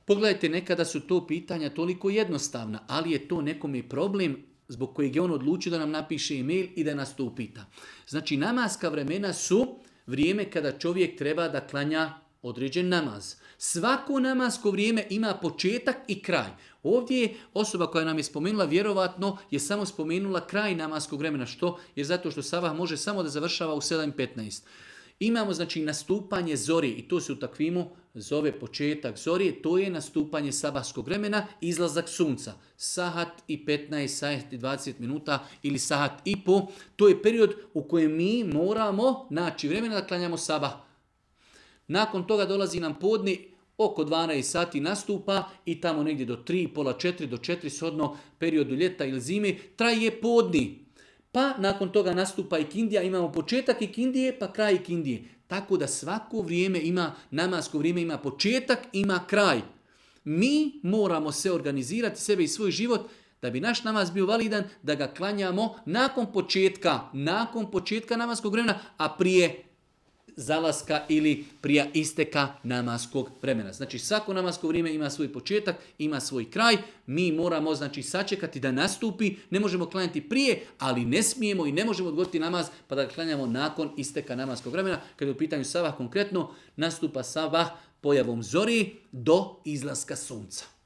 Pogledajte, nekada su to pitanja toliko jednostavna, ali je to nekome problem zbog kojeg je on odlučio da nam napiše e-mail i da nas to upita. Znači, namaska vremena su vrijeme kada čovjek treba da klanja određen namaz. Svako namasko vrijeme ima početak i kraj. Ovdje je osoba koja nam je spomenula, vjerovatno je samo spomenula kraj namaskog vremena. Što? Jer zato što sabah može samo da završava u 7:15. Imamo znači nastupanje zori i to se u takvimu zove početak zori, to je nastupanje sabahskog vremena, izlazak sunca. Sahat i 15, sahat i 20 minuta ili sahat i po, to je period u kojem mi moramo naći vremena da klanjamo sabah. Nakon toga dolazi nam podni, oko 12 sati nastupa i tamo negdje do 3, pola 4, do 4 shodno periodu ljeta ili zime traje podni. Pa nakon toga nastupa ikindija, imamo početak ikindije pa kraj ikindije. Tako da svako vrijeme ima, namasko vrijeme ima početak, ima kraj. Mi moramo se organizirati sebe i svoj život da bi naš namaz bio validan, da ga klanjamo nakon početka namaskog vremena, a prije zalaska ili prije isteka namaskog vremena. Znači svako namasko vrijeme ima svoj početak, ima svoj kraj. Mi moramo znači sačekati da nastupi. Ne možemo klanjati prije, ali ne smijemo i ne možemo odgoditi namaz pa da ga klanjamo nakon isteka namaskog vremena. Kada je u pitanju sabah konkretno, nastupa sabah pojavom zori do izlaska sunca.